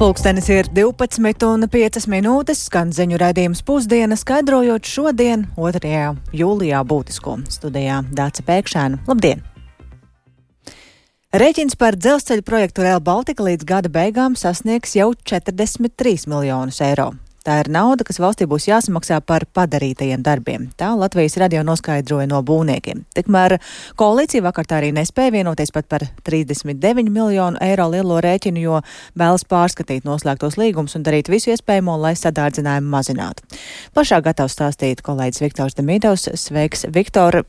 Pulkstenis ir 12:05, skan ziņu raidījums Pusdiena, skaidrojot šodien, 2. jūlijā būtisko. Studijā Dāce Pēkšēna. Labdien! Rēķins par dzelzceļu projektu Rail Baltica līdz gada beigām sasniegs jau 43 miljonus eiro. Tā ir nauda, kas valstī būs jāsamaksā par padarītajiem darbiem. Tā Latvijas radio noskaidroja no būvniekiem. Tikmēr koalīcija vakar tā arī nespēja vienoties pat par 39 miljonu eiro lielo rēķinu, jo vēlas pārskatīt noslēgtos līgumus un darīt visu iespējamo, lai sadārdzinājumu mazinātu. Plašāk gatavs stāstīt kolēģis Viktors Demīdovs. Sveiks, Viktor!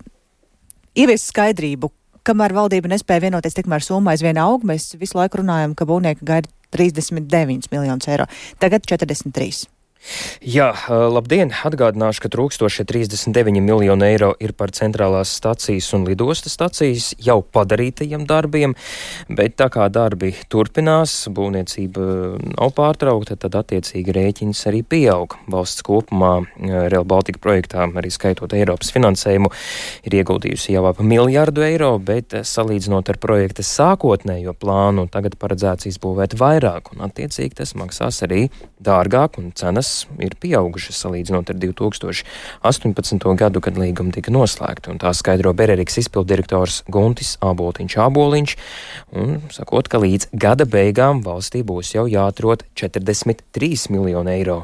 Ievies skaidrību, kamēr valdība nespēja vienoties, tikmēr summa aizvien aug. Mēs visu laiku runājam, ka būvnieki gaida 39 miljonus eiro. Tagad 43. Jā, labdien! Atgādināšu, ka trūkstošie 39 miljoni eiro ir par centrālās stacijas un lidostas stacijas jau padarītajiem darbiem, bet tā kā darbi turpinās, būvniecība nav pārtraukta, tad attiecīgi rēķins arī pieaug. Valsts kopumā Rail Baltica projektā, arī skaitot Eiropas finansējumu, ir ieguldījusi jau ap miljardu eiro, bet salīdzinot ar projekta sākotnējo plānu, tagad paredzēts izbūvēt vairāk, un attiecīgi tas maksās arī dārgāk, un cenas ir pieaugušas salīdzinot ar 2018. gadu, kad līguma tika noslēgta. Un tā skaidro Bereriks izpilddirektors Guntis Āboliņš, un sakot, ka līdz gada beigām valstī būs jau jāatrod 43 miljoni eiro.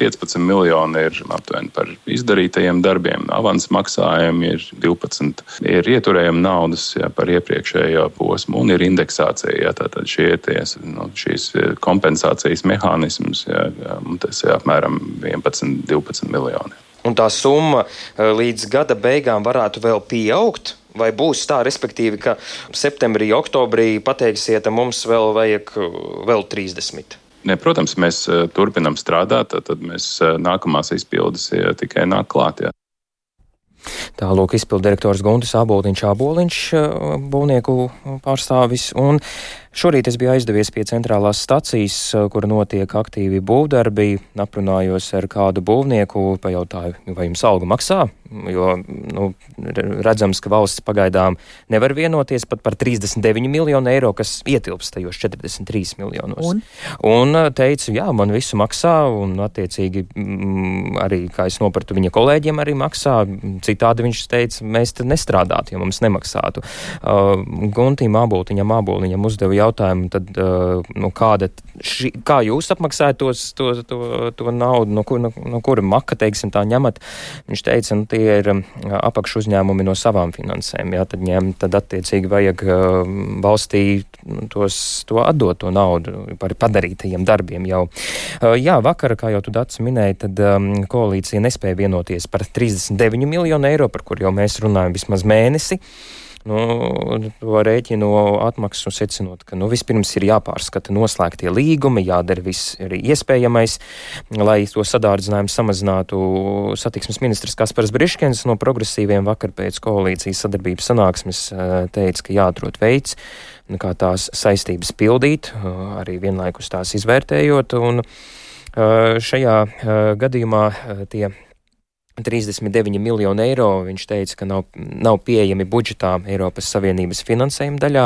15 miljoni ir aptuveni par izdarītajiem darbiem, avans maksājumi ir 12, ir ieturējumi naudas par iepriekšējo posmu un ir indeksācija. Tātad šīs kompensācijas mehānisms, tas ir apmēram 11-12 miljoni. Un tā summa līdz gada beigām varētu vēl pieaugt? Vai būs tā, respektīvi, ka septembrī, oktobrī pateiksiet, ka mums vēl vajag vēl 30? Ne, protams, mēs turpinam strādāt, tad mēs nākamās izpildes tikai nāk klāt. Jā. Tā lūk izpilddirektors Guntis Āboliņš, būvnieku pārstāvis. Un šorīt es biju aizdevies pie centrālās stacijas, kur notiek aktīvi būvdarbi. Aprunājos ar kādu būvnieku, pajautāju, vai jums algu maksā, jo redzams, ka valsts pagaidām nevar vienoties pat par 39 miljonu eiro, kas ietilpst tajos 43 miljonos. Un teicu, jā, man visu maksā, un attiecīgi arī, kā es nopratu, viņa kolēģiem arī maksā. Citādi viņš teica, mēs te nestrādātu, ja mums nemaksātu. Guntim Āboliņam uzdeva jautājumu, tad, kā jūs apmaksājat to naudu, no kura maka, teiksim, tā ņemat? Viņš teica, tie ir apakšu uzņēmumi no savām finansēm, jā, tad attiecīgi vajag valstī to atdot to naudu par padarītajiem darbiem jau. Jā, vakar, kā jau tu Dats minēji, tad koalīcija nespēja vienoties par 39 miljonu eiro, par kur jau mēs runājam vismaz mēnesi. To rēķinu atmaksu secinot, ka vispirms ir jāpārskata noslēgtie līgumi, jādara viss arī iespējamais, lai to sadārdzinājumu samazinātu. Satiksmes ministrs Kaspars Briškens no progresīviem vakar pēc koalīcijas sadarbības sanāksmes teica, ka jāatrod veids, kā tās saistības pildīt, arī vienlaikus tās izvērtējot, un šajā gadījumā tie 39 miljoni eiro, viņš teica, ka nav pieejami budžetā Eiropas Savienības finansējuma daļā.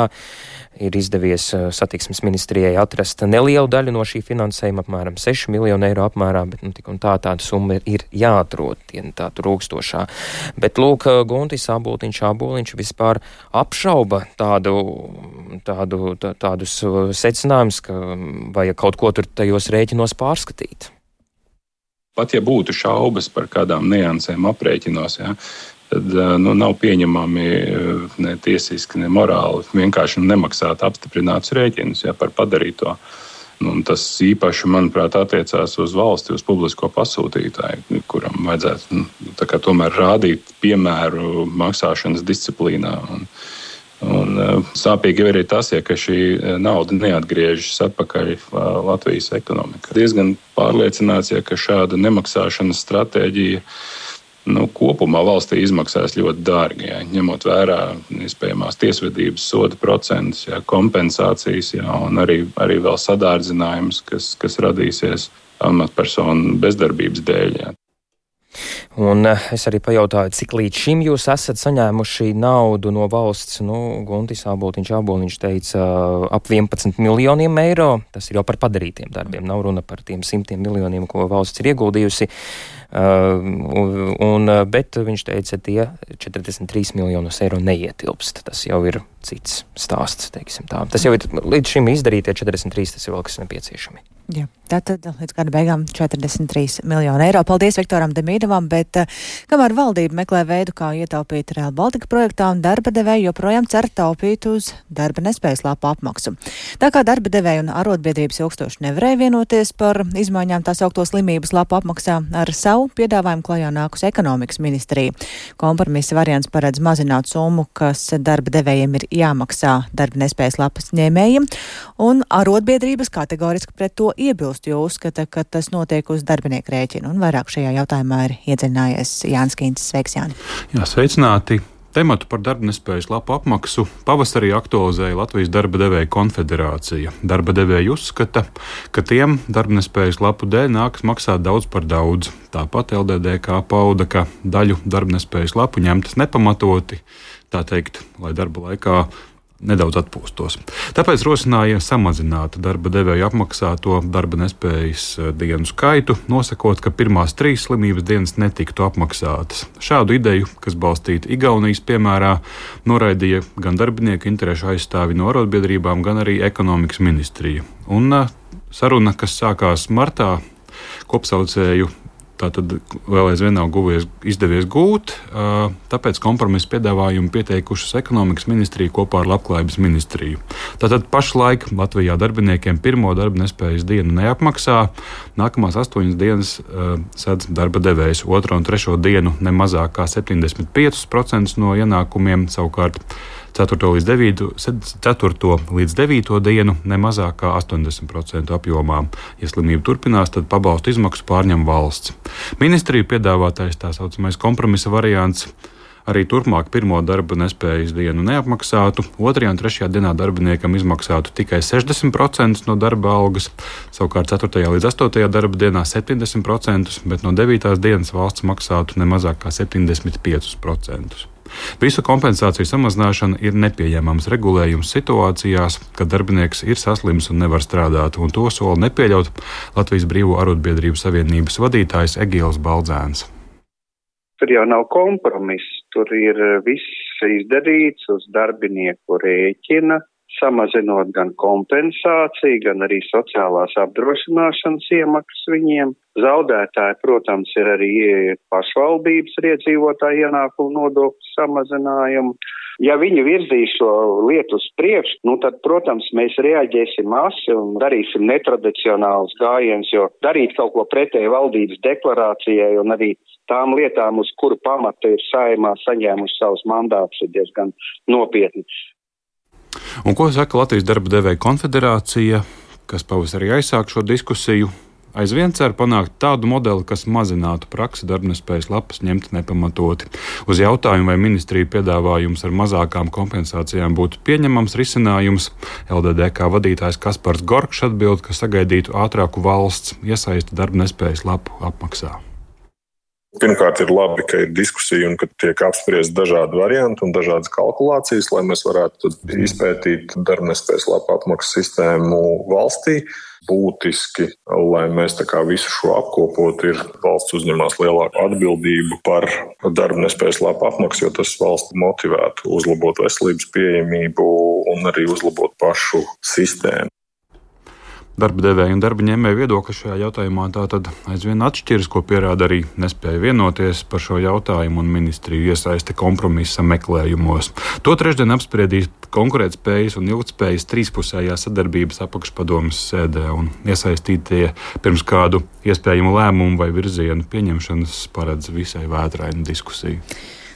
Ir izdevies satiksmes ministrijai atrast nelielu daļu no šī finansējuma, apmēram 6 miljonu eiro apmērā, bet tik un tāda summa ir jāatrod, tā trūkstošā. Bet lūk, Guntis Āboliņš vispār apšauba tādus secinājumus, ka vajag kaut ko tur tajos rēķinos pārskatīt. Pat ja būtu šaubas par kādām niansēm aprēķinos, tad nav pieņemami ne tiesiski, ne morāli vienkārši nemaksāt apstiprinātus rēķinus par padarīto. Tas īpaši, manuprāt, attiecās uz valsti, uz publisko pasūtītāju, kuram vajadzētu tomēr rādīt piemēru maksāšanas disciplīnā. Un sāpīgi ir arī tas, ka šī nauda neatgriežas atpakaļ Latvijas ekonomikā. Diezgan pārliecināts, ka šāda nemaksāšanas stratēģija kopumā valstī izmaksās ļoti dārgi, ņemot vērā iespējamās tiesvedības soda procentus, kompensācijas un arī vēl sadārdzinājums, kas radīsies amatpersonu bezdarbības dēļ. Un es arī pajautāju, cik līdz šim jūs esat saņēmuši naudu no valsts. Guntis Āboliņš teica ap 11 miljoniem eiro. Tas ir jau par padarītiem darbiem. Nav runa par tiem 100 miljoniem, ko valsts ir ieguldījusi. Bet viņš teica, tie 43 miljonus eiro neietilpst. Tas jau ir cits stāsts, teiksim tā. Tas jau ir līdz šim izdarītie 43, tas ir vēl kas nepieciešami. Jā, tātad līdz gada beigām 43 miljonu eiro. Paldies Viktoram Demīdovam, bet kamēr valdība meklē veidu, kā ietaupīt Rail Baltica projektā, un darba devēji joprojām cer taupīt uz darba nespējas lapu apmaksu. Tā kā darba devēji un arotbiedrības ilgstoši nevarēja vienoties par izmaiņām tā saukto slimības lapu apmaksā, ar savu piedāvājumu klajā nākus ekonomikas ministrija. Kompromisa variants paredz mazināt summu, kas darba devējiem ir jāmaksā darba nespējas lapas ņēmējiem, un arotbiedrības kategoriski pret to iebilst, jo uzskata, ka tas notiek uz darbinieku rēķinu. Un vairāk šajā jautājumā ir iedziļinājies Jānis Kīncis. Sveiks, Jāni! Jā, sveicināti! Tematu par darba nespējas lapu apmaksu pavasarī aktualizēja Latvijas darba devēju konfederācija. Darba devēji uzskata, ka tiem darba nespējas lapu dēļ nākas maksāt daudz par daudz. Tāpat LDDK pauda, ka daļu darba nespējas lapu ņemtas nepamatoti, tā teikt, lai darba laikā nedaudz atpūstos. Tāpēc rosināja samazināt darba devēju apmaksāto darba nespējas dienu skaitu, nosakot, ka pirmās 3 slimības dienas netiktu apmaksātas. Šādu ideju, kas balstīta Igaunijas piemērā, noraidīja gan darbinieku interešu aizstāvi no arotbiedrībām, gan arī ekonomikas ministrija. Un saruna, kas sākās martā, kopsaucēju tātad vēl aizvien nav izdevies gūt, tāpēc kompromisa piedāvājumu pieteikušas ekonomikas ministrija kopā ar Labklājības ministriju. Tātad pašlaik Latvijā darbiniekiem pirmo darba nespējas dienu neapmaksā, nākamās 8 dienas sedz darba devējs, 2. un 3. dienu ne mazāk kā 75% no ienākumiem, savukārt 4. līdz 9. dienu ne mazāk kā 80% apjomā. Ja slimība turpinās, tad pabalstu izmaksu pārņem valsts. Ministrija piedāvātais tā saucamais kompromisa variants arī turpmāk pirmo darba nespējas dienu neapmaksātu, 2. un 3. dienā darbiniekam izmaksātu tikai 60% no darba algas, savukārt 4. līdz 8. darba dienā 70%, bet no 9. dienas valsts maksātu ne mazāk kā 75%. Visu kompensāciju samazināšana ir nepieņemams regulējums situācijās, kad darbinieks ir saslims un nevar strādāt, un to sola nepieļaut Latvijas Brīvo arotbiedrību savienības vadītājs Egīls Baldzēns. Tur jau nav kompromiss, tur ir viss izdarīts uz darbinieku rēķina, samazinot gan kompensāciju, gan arī sociālās apdrošināšanas iemaksas viņiem. Zaudētāji, protams, ir arī pašvaldības ar iedzīvotāju ienākumu nodokļu samazinājumu. Ja viņi virzīs šo lietu uz priekšu, tad, protams, mēs reaģēsim asi un darīsim netradicionālus gājienus, jo darīt kaut ko pretēji valdības deklarācijai un arī tām lietām, uz kuru pamata ir Saeimā saņēmuši savus mandātus, ir diezgan nopietni. Un ko saka Latvijas darba devēju konfederācija, kas pavasarī aizsāk šo diskusiju? Aizvien cer panākt tādu modeli, kas mazinātu praksi darbnespējas lapas ņemt nepamatoti. Uz jautājumu, vai ministrija piedāvājums ar mazākām kompensācijām būtu pieņemams risinājums, LDDK vadītājs Kaspars Gorkšs atbild, ka sagaidītu ātrāku valsts iesaisti darbnespējas lapu apmaksā. Pirmkārt, ir labi, ka ir diskusija un ka tiek apspriesti dažādi varianti un dažādas kalkulācijas, lai mēs varētu izpētīt darbnespējas lapu apmaksas sistēmu valstī. Būtiski, lai mēs visu šo apkopotu, ir valsts uzņemās lielāku atbildību par darbnespējas lapu apmaksu, jo tas valsts motivētu uzlabot veselības pieejamību un arī uzlabot pašu sistēmu. Darba devēja un darba ņēmēja viedokļi šajā jautājumā tātad aizvien atšķiras, ko pierāda arī nespēja vienoties par šo jautājumu un ministriju iesaiste kompromisa meklējumos. To trešdien apspriedīs konkurētspējas un ilgtspējas trīspusējā sadarbības apakšpadomes sēdē, un iesaistītie pirms kādu iespējamu lēmumu vai virzienu pieņemšanas paredz visai vētrainu diskusiju.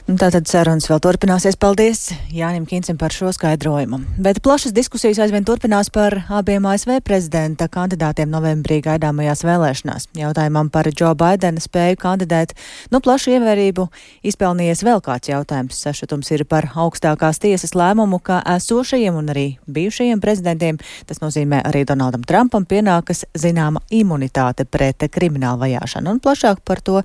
Tātad sarunas vēl turpināsies. Paldies Jānim Kincim par šo skaidrojumu. Bet plašas diskusijas aizvien turpinās par abiem ASV prezidenta kandidātiem novembrī gaidāmajās vēlēšanās. Jautājumam par Joe Bidena spēju kandidēt plašu ievērību izpelnījies vēl kāds jautājums. Sašutums ir par augstākās tiesas lēmumu, ka esošajiem un arī bijušajiem prezidentiem, tas nozīmē arī Donaldam Trumpam, pienākas zināma imunitāte pret kriminālu vajāšanu. Un plašāk par to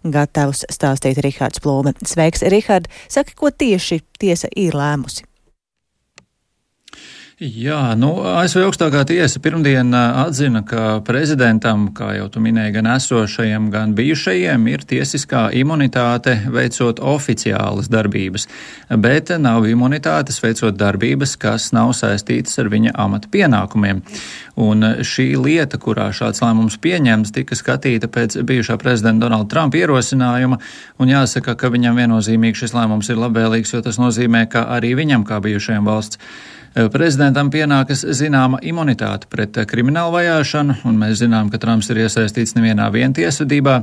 gatavs stāstīt Rihards Plūme. Sveiks, Rihard, saki, ko tieši tiesa ir lēmusi? Jā, ASV augstākā tiesa pirmdien atzina, ka prezidentam, kā jau tu minēji, gan esošajiem, gan bijušajiem ir tiesiskā imunitāte veicot oficiālas darbības, bet nav imunitātes veicot darbības, kas nav saistītas ar viņa amata pienākumiem. Un šī lieta, kurā šāds lēmums pieņemts, tika skatīta pēc bijušā prezidenta Donalda Trumpa ierosinājuma, un jāsaka, ka viņam viennozīmīgi šis lēmums ir labvēlīgs, jo tas nozīmē, ka arī viņam, kā bijušajam valsts prezidentam, pienākas zināma imunitāte pret kriminālu vajāšanu, un mēs zinām, ka Trumps ir iesaistīts nevienā tiesvedībā.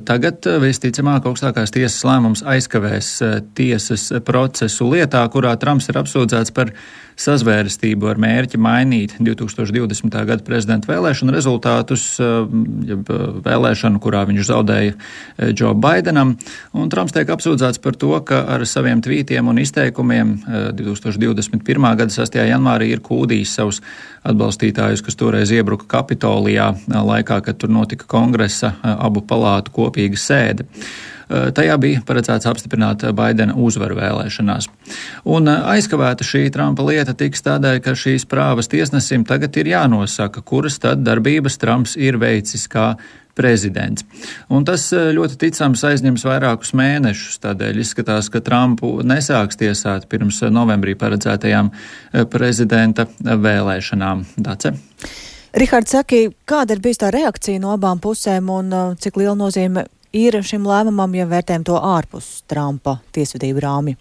Tagad visticamāk augstākās tiesas lēmums aizkavēs tiesas procesu lietā, kurā Trumps ir apsūdzēts par sazvērestību ar mērķi mainīt 2020. gada prezidenta vēlēšanu rezultātus, vēlēšanu, kurā viņš zaudēja Joe Bidenam, un Trumps tiek apsūdzēts par to, ka ar saviem tvītiem un izteikumiem 2021. gada 6. janvārī ir kūdījis savus atbalstītājus, kas toreiz iebruka Kapitolijā laikā, kad tur notika kongresa abu palātu kopīga sēde. Tajā bija paredzēts apstiprināt Baidena uzvaru vēlēšanās. Un aizkavēta šī Trumpa lieta tiks tādēļ, ka šīs prāvas tiesnesim tagad ir jānosaka, kuras tad darbības Trumps ir veicis kā prezidents. Un tas ļoti ticams aizņems vairākus mēnešus, tādēļ izskatās, ka Trumpu nesāks tiesāt pirms novembrī paredzētajām prezidenta vēlēšanām. Dace? Rihards, saki, kāda ir bijusi tā reakcija no abām pusēm un cik liela nozīme ir šim lēmumam, ja vērtējam to ārpus Trumpa tiesvedību rāmja?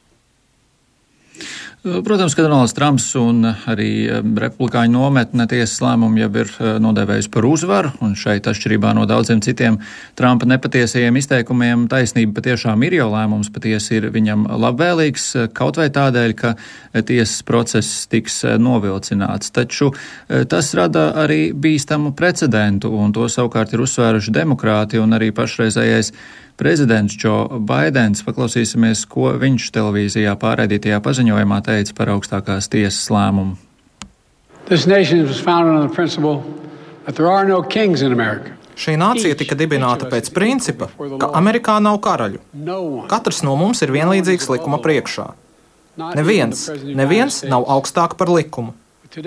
Protams, ka Donalds Trumps un arī republikāņu nometne tiesas lēmumu jau ir nodēvējusi par uzvaru, un šeit atšķirībā no daudziem citiem Trumpa nepatiesajiem izteikumiem taisnība patiešām ir, jo lēmums patiesi ir viņam labvēlīgs, kaut vai tādēļ, ka tiesas process tiks novilcināts. Taču tas rada arī bīstamu precedentu, un to savukārt ir uzsvēruši demokrāti un arī pašreizējais prezidents Joe Bidens. Paklausīsimies, ko viņš televīzijā pārraidītajā paziņojumā teica par augstākās tiesas lēmumu. Šī nācija tika dibināta pēc principa, ka Amerikā nav karaļu. Katrs no mums ir vienlīdzīgs likuma priekšā. Neviens nav augstāk par likumu.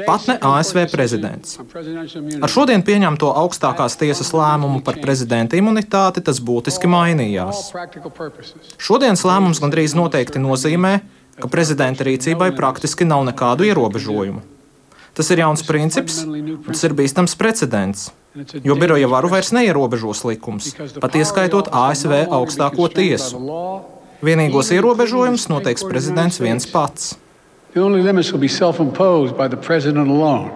Pat ne ASV prezidents. Ar šodien pieņemto augstākās tiesas lēmumu par prezidenta imunitāti tas būtiski mainījās. Šodienas lēmums gandrīz noteikti nozīmē, ka prezidenta rīcībai praktiski nav nekādu ierobežojumu. Tas ir jauns princips, un tas ir bīstams precedents, jo biroja varu vairs neierobežos likums, pat ieskaitot ASV augstāko tiesu. Vienīgos ierobežojumus noteiks prezidents viens pats. The only limits will be self-imposed by the president alone.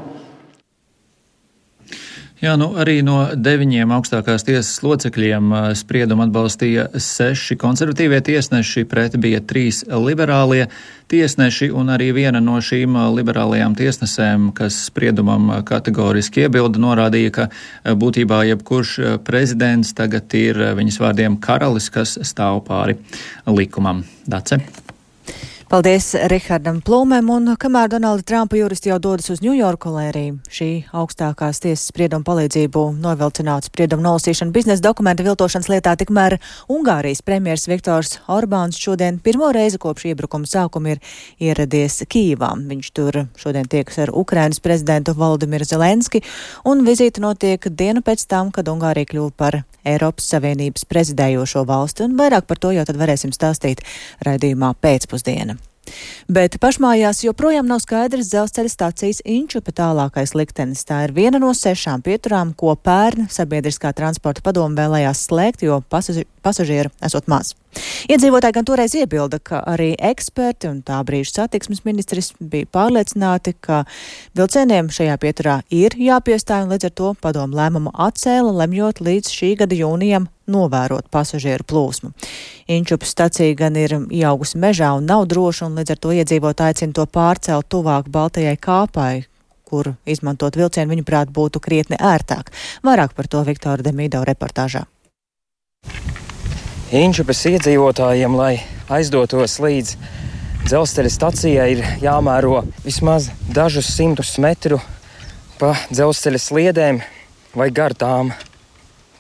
Jā, arī no 9 augstākās tiesas locekļiem spriedumu atbalstīja 6 konservatīvie tiesneši, pret bija 3 liberālie tiesneši, un arī viena no šīm liberālajām tiesnesēm, kas spriedumam kategoriski iebilda, norādīja, ka būtībā jebkurš prezidents tagad ir viņas vārdiem karalis, kas stāv pāri likumam. Dace? Paldies Rihardam Plūmēm, un kamēr Donalda Trumpa juristi jau dodas uz Ņujorku, lai arī šī augstākās tiesas sprieduma palīdzību novilcinātu spriedumu nolasīšanu biznesa dokumenta viltošanas lietā, tikmēr Ungārijas premjers Viktors Orbāns šodien pirmo reizi kopš iebrukuma sākuma ir ieradies Kijivā. Viņš tur šodien tiekas ar Ukrainas prezidentu Volodimiru Zelenski, un vizīte notiek dienu pēc tam, kad Ungārija kļuva par Eiropas Savienības prezidējošo valsti, un vairāk par to jau tad varēsim stāstīt raidījumā pēcpusdiena. Bet pašmājās joprojām nav skaidrs dzelzceļa stācijas Inčupe tālākais liktenis. Tā ir viena no 6 pieturām, ko pērn sabiedriskā transporta padome vēlējās slēgt, jo pasažieru esot maz. Iedzīvotāji gan toreiz iebilda, ka arī eksperti un tā brīža satiksmes ministrs bija pārliecināti, ka vilcieniem šajā pieturā ir jāpiestāj, un līdz ar to padomu lēmumu atcēla, lemjot līdz šī gada jūnijam novērot pasažieru plūsmu. Inčupas stacija gan ir ieaugusi mežā un nav droša, un līdz ar to iedzīvotāji aicina to pārcelt tuvāk Baltajai kāpai, kur izmantot vilcienu viņuprāt būtu krietni ērtāk. Vairāk par to Viktora Demīdo reportāžā. Inčupas iedzīvotājiem, lai aizdotos līdz dzelzceļa stacijai, ir jāmēro vismaz dažus 100 metru pa dzelzceļa sliedēm vai gar tām.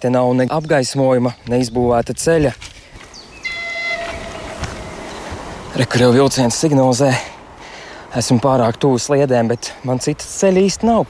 Te nav ne apgaismojuma, ne izbūvēta ceļa. Kur jau vilciens signalizē. Esmu pārāk tuvu sliedēm, bet man citas ceļa īsti nav.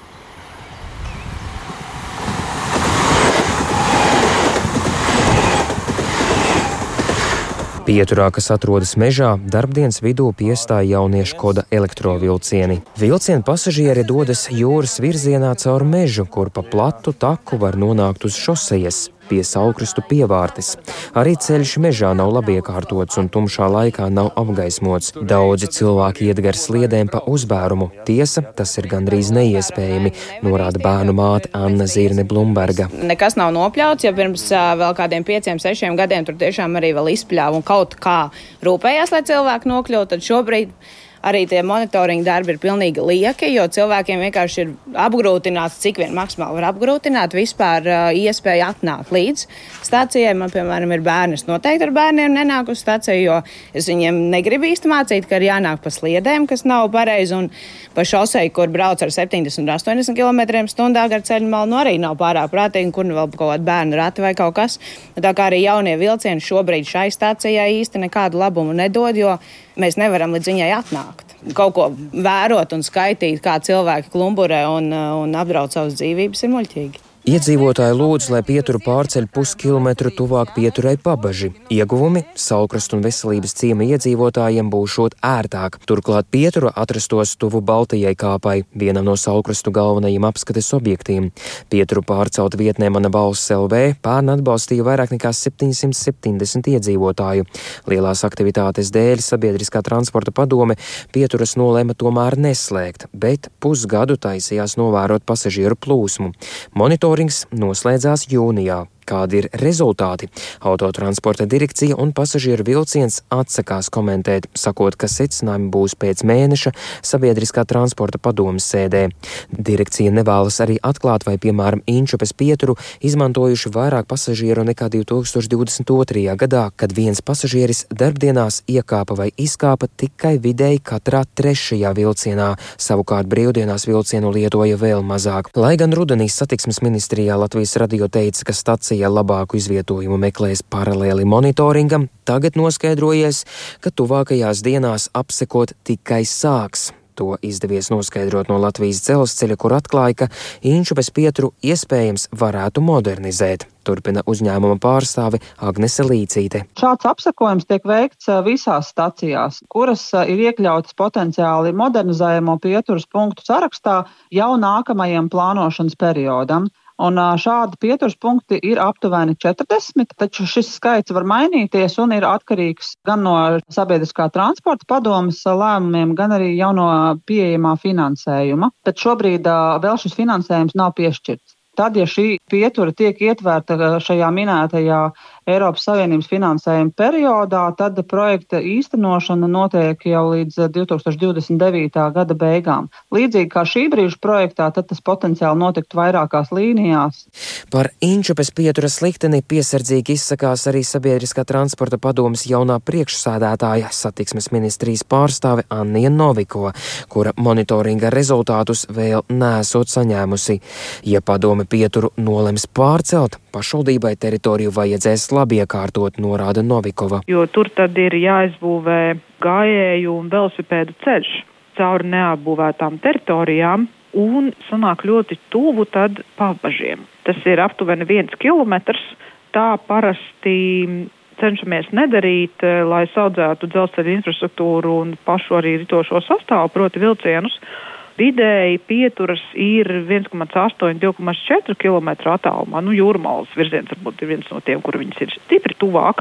Pieturā, kas atrodas mežā, darbdienas vidū piestāja jauniešu koda elektrovilcieni. Vilciena pasažieri dodas jūras virzienā caur mežu, kur pa platu taku var nonākt uz šosejas pie Saulkrastu pievārtes. Arī ceļš mežā nav labi iekārtots un tumšā laikā nav apgaismots. Daudzi cilvēki iet gar sliedēm pa uzbērumu. Tiesa, tas ir gandrīz neiespējami, norāda bērnu māte Anna Zirne Blumberga. Nekas nav nopļauts, ja pirms vēl kādiem 5-6 gadiem tur tiešām arī vēl izpļāva un kaut kā rūpējās, lai cilvēki nokļūtu, tad šobrīd arī tie monitoringa darbi ir pilnīgi lieki, jo cilvēkiem vienkārši ir apgrūtināts, cik vien maksimāli var apgrūtināt vispār iespēju atnākt līdz stacijai. Man, piemēram, ir bērni, es noteikti ar bērniem nenāku uz staciju, jo es viņiem negribu īsti mācīt, ka ir jānāk pa sliedēm, kas nav pareizi, un pa šoseju, kur brauc ar 70-80 km/h gar ceļu malu, arī nav pārāk prātīgi, kur vēl kaut kāda bērnu rati vai kaut kas. Tā kā arī jaunie vilcieni šobrīd šai stacijai īsti nekādu labumu nedod, jo mēs nevaram līdz viņai atnākt. Kaut ko vērot un skaitīt, kā cilvēki klumburē un apdraud savas dzīvības, ir muļķīgi. Iedzīvotāji lūdz, lai pieturu pārceļ puskilometru tuvāk pieturai Pabaži. Ieguvumi Saulkrastu un Veselības ciema iedzīvotājiem būšot ērtāk. Turklāt pietura atrastos tuvu Baltajai kāpai, vienam no Saulkrastu galvenajiem apskates objektiem. Pieturu pārcelt vietnē Mana balss LV pērn atbalstīja vairāk nekā 770 iedzīvotāju. Lielās aktivitātes dēļ sabiedriskā transporta padome pieturas nolēma tomēr neslēgt, bet pusgadu taisījās novērot pasažieru plūsmu. Monitorings noslēdzās jūnijā. Kādi ir rezultāti? Autotransporta direkcija un pasažieru vilciens atsakās komentēt, sakot, ka secinājumi būs pēc mēneša sabiedriskā transporta padomes sēdē. Direkcija nevēlas arī atklāt, vai, piemēram, Inčupas pieturu izmantojuši vairāk pasažieru nekā 2022. gadā, kad viens pasažieris darbdienās iekāpa vai izkāpa tikai vidēji katrā 3. vilcienā, savukārt brīvdienās vilcienu lietoja vēl mazāk. Lai gan rudenī satiksmes ministrijā Latvijas radio teica, ka stacija labāku izvietojumu meklēs paralēli monitoringam, tagad noskaidrojies, ka tuvākajās dienās apsekot tikai sāks. To izdevies noskaidrot no Latvijas dzelzceļa, kur atklāja, ka Inčupas pieturu iespējams varētu modernizēt. Turpina uzņēmuma pārstāve Agnese Līcīte. Šāds apsekojums tiek veikts visās stacijās, kuras ir iekļautas potenciāli modernizējamo pieturas punktu sarakstā jau nākamajam plānošanas periodam. Un šādi pieturas punkti ir aptuveni 40, taču šis skaits var mainīties un ir atkarīgs gan no sabiedriskā transporta padomes lēmumiem, gan arī jau no pieejamā finansējuma. Tad šobrīd vēl šis finansējums nav piešķirts. Tad, ja šī pietura tiek ietvērta šajā minētajā Eiropas Savienības finansējuma periodā, tad projekta īstenošana notiek jau līdz 2029. gada beigām. Līdzīgi kā šī brīža projektā, tad tas potenciāli notiktu vairākās līnijās. Par Inčupas pieturas likteni piesardzīgi izsakās arī sabiedriskā transporta padomes jaunā priekšsēdētāja satiksmes ministrijas pārstāve Annija Novikova, kura monitoringa rezultātus vēl nesot saņēmusi. Ja padome pieturu nolems pārcelt, pašvaldībai teritoriju vajadzēs labi iekārtot, norāda Novikova. Jo tur tad ir jāizbūvē gājēju un velosipēdu ceļš cauri neapbūvētām teritorijām un sanāk ļoti tuvu tad Pabažiem. Tas ir aptuveni 1 kilometrs. Tā parasti cenšamies nedarīt, lai saudzētu dzelzceļa infrastruktūru un pašu arī ritošo sastāvu, proti vilcienus. Vidēji pieturas ir 1,8–2,4 km attālumā. Jūrmalas virziens varbūt ir viens no tiem, kur viņas ir stipri tuvāk.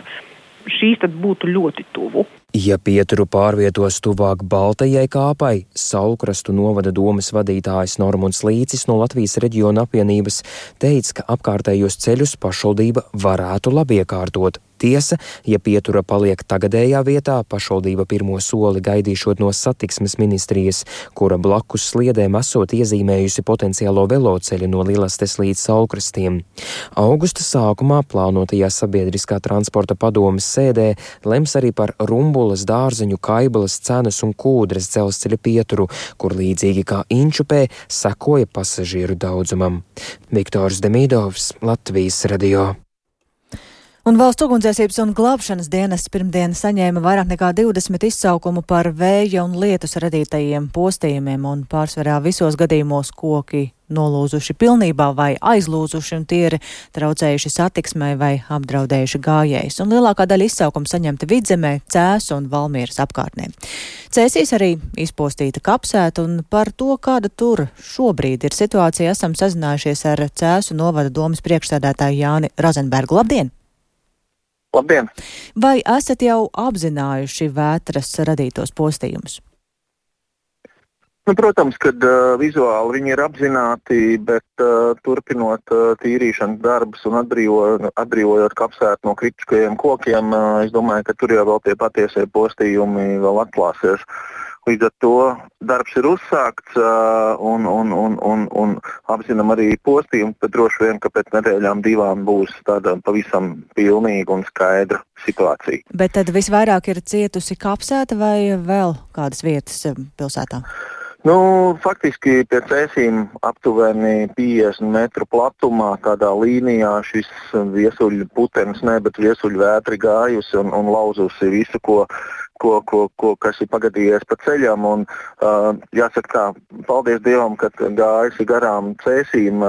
šīs tad būtu ļoti tuvu. Ja pieturu pārvietos tuvāk Baltajai kāpai, Saulkrastu novada domes vadītājs Normunds Līcis no Latvijas reģiona apvienības teica, ka apkārtējos ceļus pašvaldība varētu labi iekārtot. Tiesa, ja pietura paliek tagadējā vietā, pašvaldība pirmo soli gaidīšot no satiksmes ministrijas, kura blakus sliedēm esot iezīmējusi potenciālo veloceļu no Lilastes līdz Saulkrastiem. Augusta sākumā plānotajā sabiedriskā transporta padomes sēdē lems arī par Rumbulas, Dārzeņu, Kaibalas, Cenas un Kūdras dzelzceļa pieturu, kur līdzīgi kā Inčupē sekoja pasažieru daudzumam. Viktors Demīdovs, Latvijas radio. Un Valsts ugunsdzēsības un glābšanas dienests pirmdien saņēma vairāk nekā 20 izsaukumu par vēja un lietus radītajiem postījumiem, un pārsvarā visos gadījumos koki nolūzuši pilnībā vai aizlūzuši, un tie ir traucējuši satiksmai vai apdraudējuši gājējus. Un lielākā daļa izsaukumu saņemta Vidzemē, Cēsu un Valmieras apkārtnē. Cēsīs arī izpostīta kapsēta, un par to, kāda tur šobrīd ir situācija, esam sazinājušies ar Cēsu novada domes priekšsēdētāju Jāni Rozenbergu. Labdien! Labdien! Vai esat jau apzinājuši vētras radītos postījumus? Protams, kad vizuāli viņi ir apzināti, bet turpinot tīrīšanas darbus un atbrīvojot kapsētu no kritiskajiem kokiem, es domāju, ka tur jau vēl tie patiesie postījumi vēl atklāsies. Līdz ar to darbs ir uzsākts un apzinam arī postījumu, bet droši vien, ka pēc nedēļām 2 būs tāda pavisam pilnīga un skaidra situācija. Bet tad visvairāk ir cietusi kapsēta vai vēl kādas vietas pilsētā? Faktiski pie Cēsīm aptuveni 50 metru platumā tādā līnijā šis viesuļu putenis, bet viesuļu vētri gājusi un lauzusi visu, kas ir pagadījies pa ceļam. Un, jāsaka tā, paldies Dievam, ka gājusi garām Cēsīm,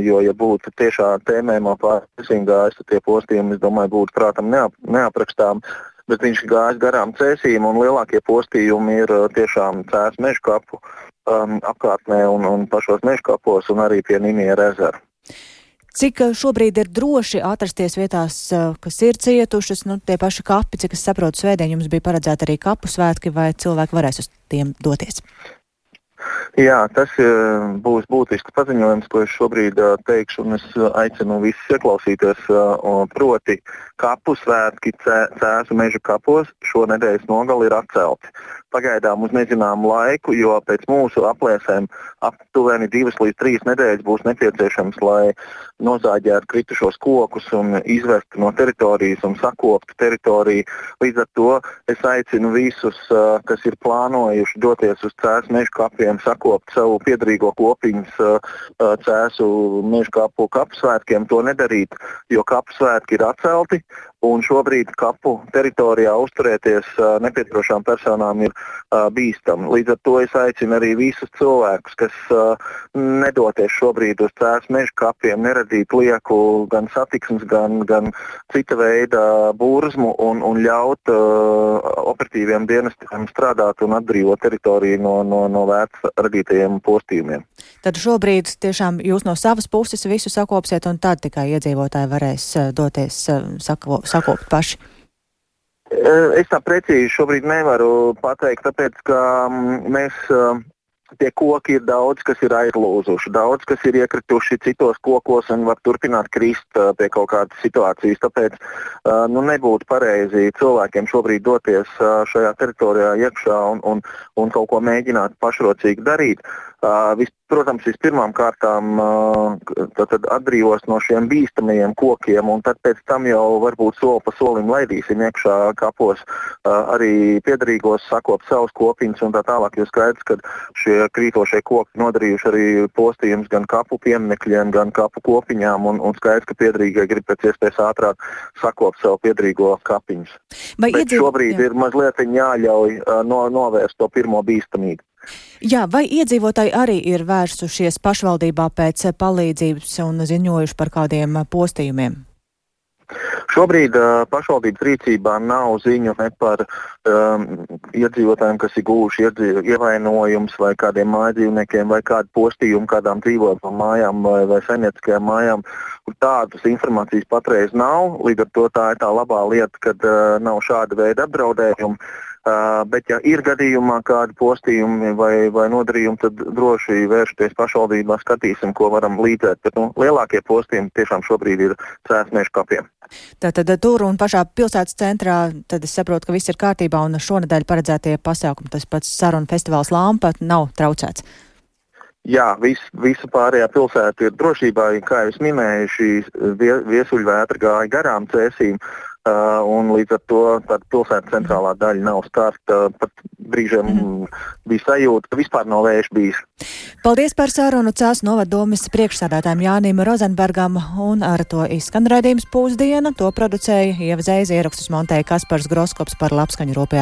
jo, ja būtu tiešā tēmējumā pār Cēsīm gājus, tad tie postījumi, es domāju, būtu prātam neaprakstām. Bet viņš gājas garām Cēsīm, un lielākie postījumi ir tiešām Cēsu meža kapu apkārtnē un pašos meža kapos un arī pie Niniera ezera. Cik šobrīd ir droši atrasties vietās, kas ir cietušas, tie paši kapi, cik es saprotu, svētdien jums bija paredzēta arī kapu svētki, vai cilvēki varēs uz tiem doties? Jā, tas būs būtisks paziņojums, ko es šobrīd teikšu, un es aicinu visus ieklausīties, proti kapu svētki Cēsu meža kapos šonedēļas nogali ir atcelti. Pagaidām uz nezināmu laiku, jo pēc mūsu aplēsēm aptuveni 2 līdz 3 nedēļas būs nepieciešams, lai nozāģētu kritušos kokus un izvestu no teritorijas un sakoptu teritoriju. Līdz ar to es aicinu visus, kas ir plānojuši doties uz Cēsu meža kapiem, sakopt savu piederīgo kopiņas Cēsu meža kapu kapsvētkiem, to nedarīt, jo kapsvētki ir atcelti. Un šobrīd kapu teritorijā uzturēties nepieturošām personām ir bīstami. Līdz ar to es aicinu arī visus cilvēkus, kas nedoties šobrīd uz Cēsu meža kapiem, neradīt lieku gan satiksmes, gan cita veida burzmu un ļaut operatīviem dienestiem strādāt un atbrīvot teritoriju no vētras radītajiem postījumiem. Tad šobrīd tiešām jūs no savas puses visu sakopsiet, un tad tikai iedzīvotāji varēs doties sakopt paši? Es tā precīzi šobrīd nevaru pateikt, tāpēc, ka tie koki ir daudz, kas ir aizlūzuši, daudz, kas ir iekrituši citos kokos un var turpināt krist pie kaut kādas situācijas. Tāpēc nebūtu pareizi cilvēkiem šobrīd doties šajā teritorijā iekšā un kaut ko mēģināt pašrocīgi darīt. Protams, vispirmām kārtām atbrīvos no šiem bīstamajiem kokiem, un tad pēc tam jau varbūt soli pa solim laidīsim iekšā kapos arī piederīgos, sakot savus kopiņus un tā tālāk, jo skaidrs, ka šie krītošie koki nodarījuši arī postījumus gan kapu pieminekļiem, gan kapu kopiņām, un skaidrs, ka piederīgie grib pēc iespējas ātrāk sakot savu piederīgo kapiņus. Bet šobrīd ir mazliet jāļauj novērst to pirmo bīstamību. Jā, vai iedzīvotāji arī ir vērsušies pašvaldībā pēc palīdzības un ziņojuši par kādiem postījumiem? Šobrīd pašvaldības rīcībā nav ziņu ne par iedzīvotājiem, kas ir guvuši ievainojums vai kādiem mājdzīvniekiem vai kādu postījumu kādām dzīvotām mājām vai saimnieciskajām mājām. Tādas informācijas patreiz nav, līdz ar to tā ir tā labā lieta, kad nav šāda veida apdraudējumi. Bet, ja ir gadījumā kādi postījumi vai nodarījumi, tad droši vēršoties pašvaldībā, skatīsim, ko varam līdzēt. Bet lielākie postījumi tiešām šobrīd ir cēsmiešu kapiem. Tātad tur un pašā pilsētas centrā, tad es saprotu, ka viss ir kārtībā un šonedēļ paredzētie pasākumi, tas pats sarunu festivāls Lampa, nav traucēts. Jā, visa pārējā pilsēta ir drošībā, kā jau es minēju, šī viesuļvētra gāja garām Cēsīm. Un līdz ar to pilsētas centrālā daļa nav skarta. Pat brīžiem bija sajūta, ka vispār nav vējš bijis. Paldies par sarunu Cēsu novaddomes priekšsādātājiem Jānim Rozenbergam, un ar to izskan raidījums Pūsdiena. To producēja Ieva Zeize, ierakstus montēja Kaspars Groskops, par labskaņu rūpējās